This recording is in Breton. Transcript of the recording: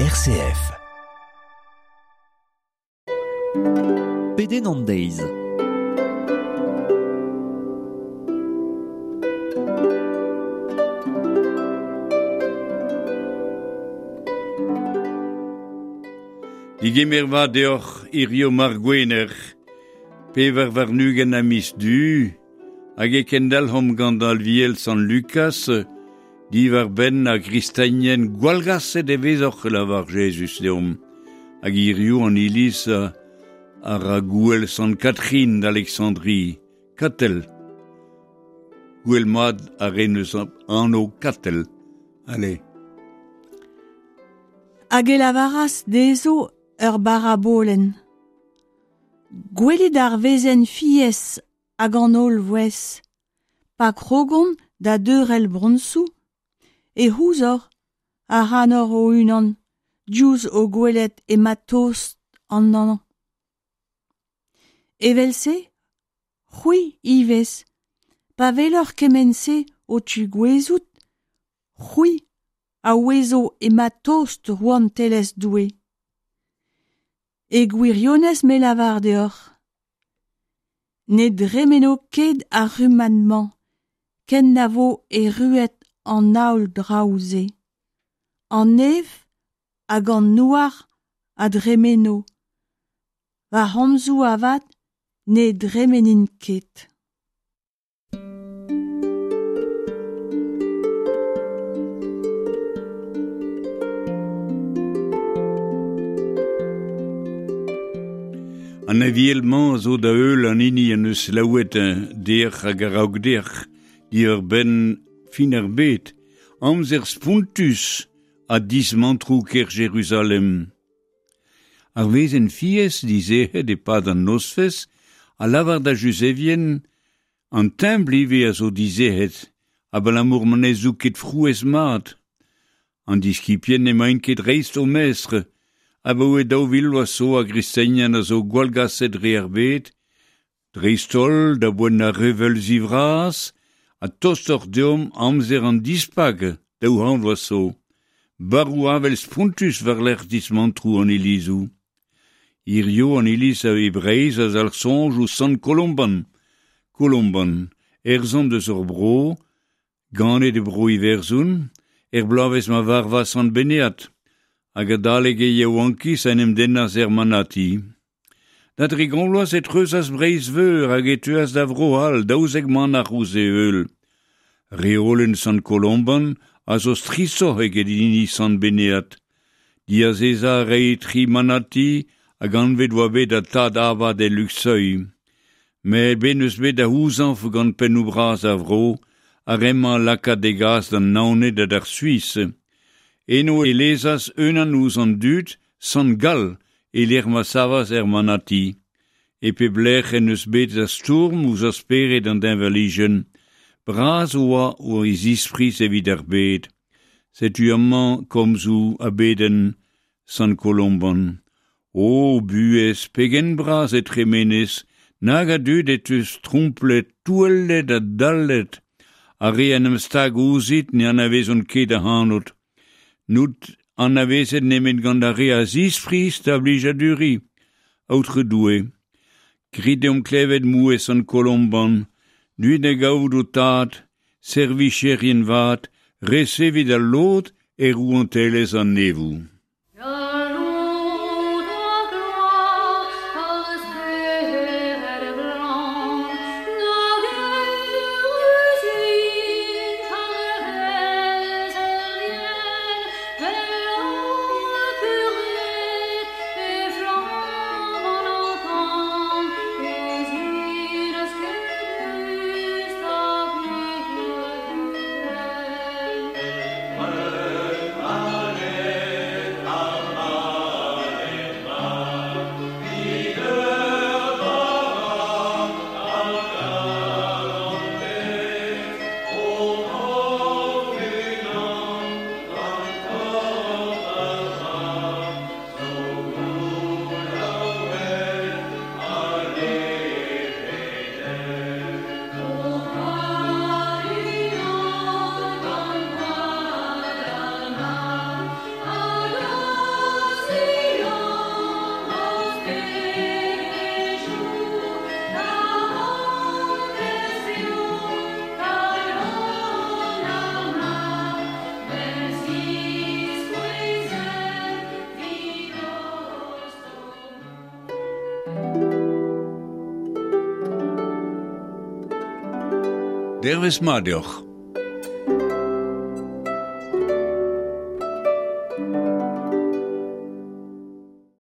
RCF. Pedenn an deiz. Digemer vat deoc'h hirio mar gwener, 24 a miz du, hag e kendalc'homp gant alviel Sant Lukas, diwar benn a gristenien gwallgaset e vezoc'h lavar Jezuz deomp. Hag hirio an iliz a ra gouel Sant Catherine d'Alexandrie, Katel. Gouel mat a ren eus anv Katel. Allez. Hag e lavaras dezho ur barabolenn. Gwelit ar wezenn fiez hag an holl vouezh. Pa krogont da deurel bronsoù, e c'houzoc'h a ranoc'h o-unan diouzh o gwelet ema tost an hañv. Evel-se, c'hwi ivez, pa weloc'h kement-se o tigouezout, c'hwi a ouezo ema tost rouantelezh Doue. E gwirionez me lavar deoc'h. Ne dremeno ket ar rummad-mañ ken na vo erruet an holl draoù-se. An neñv hag an douar a dremeno. Va c'homzoù avat ne dremenint ket. An aviel-mañ a zo da heul an hini en deus selaouet dec'h hag a-raok dec'h diwar-benn fin ar bed, amzer spontus ha dismantroù kêr Jeruzalem. Ar wezenn fiez dizec'het e-pad an nozvezh a lavar da Juzevien an templ ivez a zo dizec'het abalamour ma ne zoug ket frouezh mat. An diskibien n'emaint ket dreist o mestr, abaoe 2000 vloaz zo a gristenien a zo gwallgaset dre ar bed, dreist-holl da boent ar reveulzi vras ha tostoc'h deomp amzer an dispak 200 vloaz zo. Barroù avel spontus war-lerc'h dismantroù an ilizoù. Hirio an iliz a e Breizh a zalc'h soñj ouzh Sant Kolomban. Kolomban, erzant eus hor bro, ganet e bro Iwerzhon, er bloavezh ma varvas Sant Benead, hag adalek e yaouankiz en em dennas er manati. Da dregont vloaz e treuzas Breizh-Veur hag e teuas da Vro-C'hall 12 manac'h ouzh e heul. Reolenn Sant Kolomban a zo strishoc'h eget hini Sant Benead. Diazezañ a rae tri manati hag anvet oa bet da tad abad e Luxeuil. Met bet n'eus bet da c'houzañv gant pennoù-bras ar vro ar re-mañ lakaat e gas d'an Naoned ha d'ar Suis. Eno e lezas unan ouzh an dud, Sant Gall, e-lec'h ma savas er manati. E pep lec'h en deus bet da stourm ouzh ar spered an deñvalijenn. Bras oa o e zispriz evit ar bed. Setu amañ komzoù a bedenn Sant Kolomban. O buhez, pegen bras e tremenez, nag a dud e teus tromplet, touellet ha dallet. Ar re en em stag ouzhit ne anavezont ket ac'hanout. N'out anavezet nemet gant ar re a zispriz da blijaduriñ. Aotrou Doue, grit deomp klevet mouezh Sant Kolomban, deuit da gavout ho tad, servicherien vat, resevit al lod e rouantelezh an neñvoù. Dervez mat deoc'h.